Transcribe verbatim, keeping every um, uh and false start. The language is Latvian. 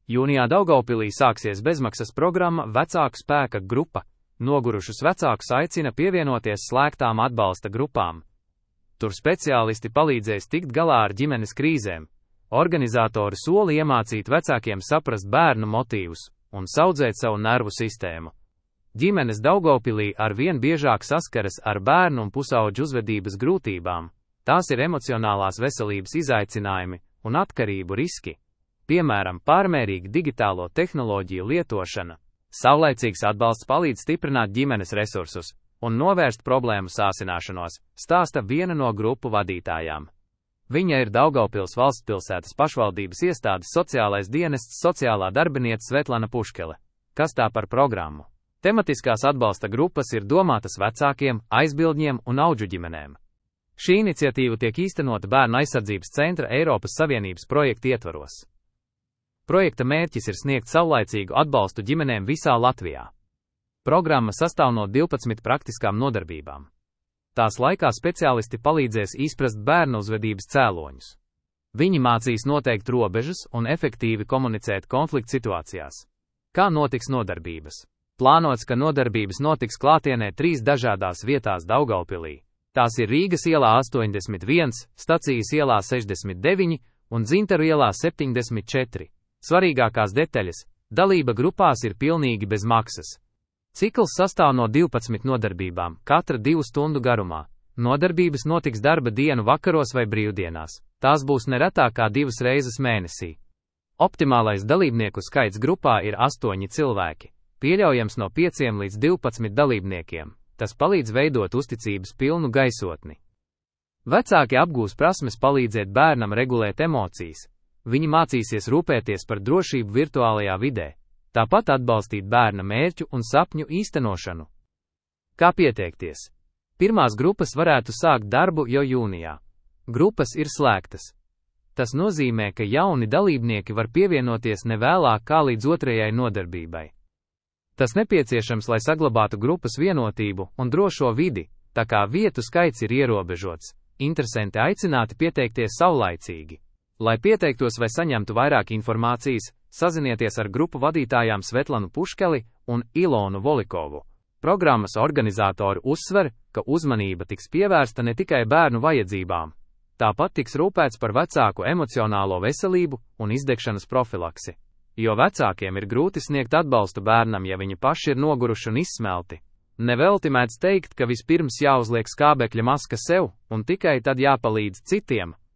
Jūnijā Daugavpilī sāksies bezmaksas programma Vecāku spēka grupa. Nogurušus vecākus aicina pievienoties slēgtām atbalsta grupām. Tur speciālisti palīdzēs tikt galā ar ģimenes krīzēm. Organizatori sola iemācīt vecākiem saprast bērnu motīvus un saudzēt savu nervu sistēmu. Ģimenes Daugavpilī arvien biežāk saskaras ar bērnu un pusauģu uzvedības grūtībām. Tās ir emocionālās veselības izaicinājumi un atkarību riski. Piemēram, pārmērīga digitālo tehnoloģiju lietošana. Saulaicīgs atbalsts palīdz stiprināt ģimenes resursus un novērst problēmu sāsināšanos, stāsta viena no grupu vadītājām. Viņa ir Daugavpils valstspilsētas pašvaldības iestādes sociālais dienests sociālā darbiniece Svetlana Puškele. Kas tā par programmu? Tematiskās atbalsta grupas ir domātas vecākiem, aizbildņiem un audžu ģimenēm. Šī iniciatīva tiek īstenota Bērnu aizsardzības centra Eiropas Savienības projekta ietvaros. Projekta mērķis ir sniegt saulaicīgu atbalstu ģimenēm visā Latvijā. Programma sastāv no divpadsmit praktiskām nodarbībām. Tās laikā speciālisti palīdzēs izprast bērnu uzvedības cēloņus. Viņi mācīs noteikt robežas un efektīvi komunicēt konflikta situācijās. Kā notiks nodarbības? Plānots, ka nodarbības notiks klātienē trīs dažādās vietās Daugavpilī. Tās ir Rīgas ielā astoņdesmit viens, Stacijas ielā sešdesmit deviņi un Dzintaru ielā septiņdesmit četri. Svarīgākās detaļas – dalība grupās ir pilnīgi bez maksas. Cikls sastāv no divpadsmit nodarbībām, katra divu stundu garumā. Nodarbības notiks darba dienu vakaros vai brīvdienās. Tās būs neretāk kā divas reizes mēnesī. Optimālais dalībnieku skaits grupā ir astoņi cilvēki. Pieļaujams no pieciem līdz divpadsmit dalībniekiem. Tas palīdz veidot uzticības pilnu gaisotni. Vecāki apgūs prasmes palīdzēt bērnam regulēt emocijas. Viņi mācīsies rūpēties par drošību virtuālajā vidē, tāpat atbalstīt bērna mērķu un sapņu īstenošanu. Kā pieteikties? Pirmās grupas varētu sākt darbu jau jūnijā. Grupas ir slēgtas. Tas nozīmē, ka jauni dalībnieki var pievienoties nevēlāk kā līdz otrajai nodarbībai. Tas nepieciešams, lai saglabātu grupas vienotību un drošo vidi, tā kā vietu skaits ir ierobežots. Interesanti aicināti pieteikties saulaicīgi. Lai pieteiktos vai saņemtu vairāk informācijas, sazinieties ar grupu vadītājām Svetlanu Puškeli un Ilonu Volikovu. Programmas organizatori uzsver, ka uzmanība tiks pievērsta ne tikai bērnu vajadzībām. Tāpat tiks rūpēts par vecāku emocionālo veselību un izdegšanas profilaksi. Jo vecākiem ir grūti sniegt atbalstu bērnam, ja viņi paši ir noguruši un izsmelti. Nevelti mēdz teikt, ka vispirms jāuzliek skābekļa maska sev, un tikai tad jāpalīdz citiem.